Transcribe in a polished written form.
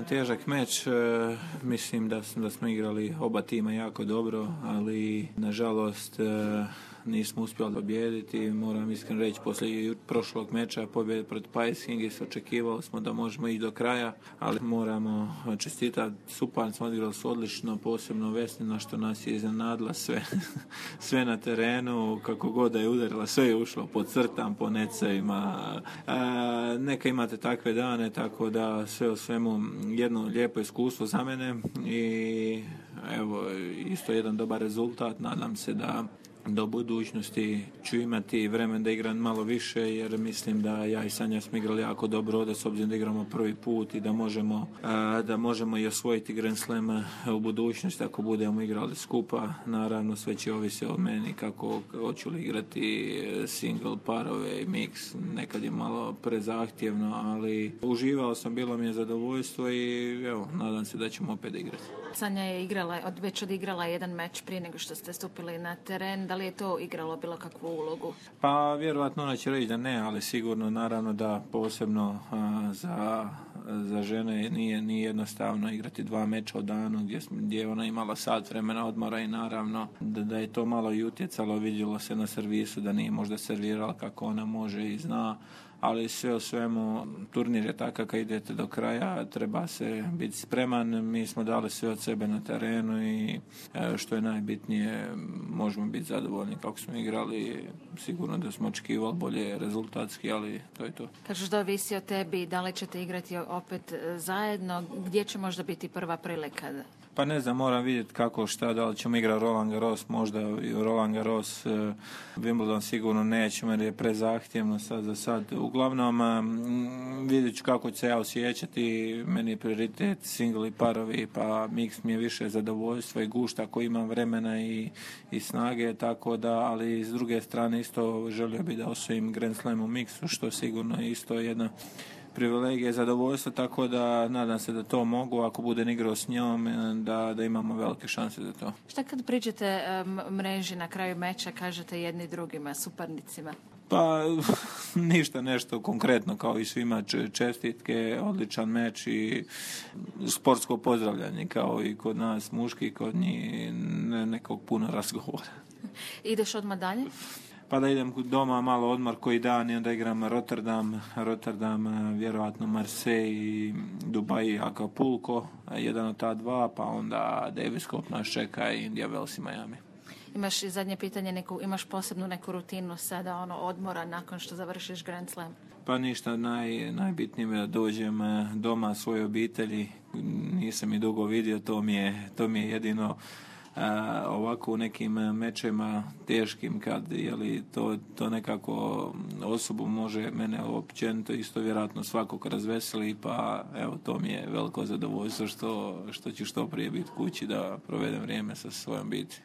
jedan težak meč, mislim da smo igrali oba tima jako dobro, ali nažalost nismo uspjeli pobijediti. Moram iskreno reći, poslije prošlog meča pobjede protiv Pajskingis očekivali smo da možemo ići do kraja, ali moramo čestitati suparnicima, odigrali su odlično, posebno Vesnina što nas je iznenadila sve na terenu, kako god da je udarila, sve je ušlo po crtam, po necevima. Neka imate takve dane, tako da sve u svemu jedno lijepo iskustvo za mene i evo isto jedan dobar rezultat. Nadam se da do budućnosti ću imati vremen da igram malo više, jer mislim da ja i Sanja smo igrali jako dobro ovdje, s obzirom da igramo prvi put i da možemo i osvojiti Grand Slam u budućnosti ako budemo igrali skupa. Naravno sve će ovisi o meni kako hoću li igrati single, parove i mix. Nekad je malo prezahtjevno, ali uživao sam, bilo mi je zadovoljstvo i evo, nadam se da ćemo opet igrati. Sanja je već odigrala jedan meč prije nego što ste stupili na teren. Da li je to igralo bilo kakvu ulogu? Pa vjerojatno ona će reći da ne, ali sigurno naravno da posebno za žene nije jednostavno igrati 2 meča u danu gdje je ona imala sat vremena odmora i naravno da je to malo i utjecalo, vidjelo se na servisu da nije možda servirala kako ona može i zna, ali sve u svemu turnir je takav kad idete do kraja, treba se biti spreman. Mi smo dali sve od sebe na terenu i što je najbitnije, možemo biti zadovoljni kako smo igrali. Sigurno da smo očekivali bolje rezultatski, ali to je to. Kažeš da ovisi o tebi, da li ćete igrati opet zajedno, gdje će možda biti prva prilika? Pa ne znam, moram vidjeti kako šta, da li ćemo igrati Roland Garros, možda i Roland Garros, Wimbledon sigurno nećemo jer je prezahtjevno sad za sad. Uglavnom vidjet ću kako ću se ja osjećati, meni je prioritet single i parovi, pa mix mi je više zadovoljstva i gušta ako imam vremena i snage, tako da, ali s druge strane isto želio bi da osvojim Grand Slam u mixu, što sigurno isto jedna privilegije, zadovoljstvo, tako da nadam se da to mogu, ako budem igrao s njom, da imamo velike šanse za to. Šta kad priđete mreži na kraju meča, kažete jedni drugima, suparnicima? Pa ništa nešto konkretno, kao i svima čestitke, odličan meč i sportsko pozdravljanje, kao i kod nas muški, kod njih nekog puno razgovora. Ideš odmah dalje? Pa da idem doma malo odmor koji dan i onda igram Rotterdam, vjerojatno Marseille, Dubai, Acapulco, jedan od ta dva, pa onda Davis Cup nas čeka i India Wells i Miami. Imaš i zadnje pitanje, imaš posebnu neku rutinu sada odmora nakon što završiš Grand Slam? Pa ništa, najbitnije je da dođem doma svojoj obitelji, nisam i dugo vidio, to mi je jedino ovako u nekim mečima teškim kad to nekako osobu može mene općenito isto vjerojatno svakog razveseli, pa evo to mi je veliko zadovoljstvo što ću što prije biti kući da provedem vrijeme sa svojom obitelji.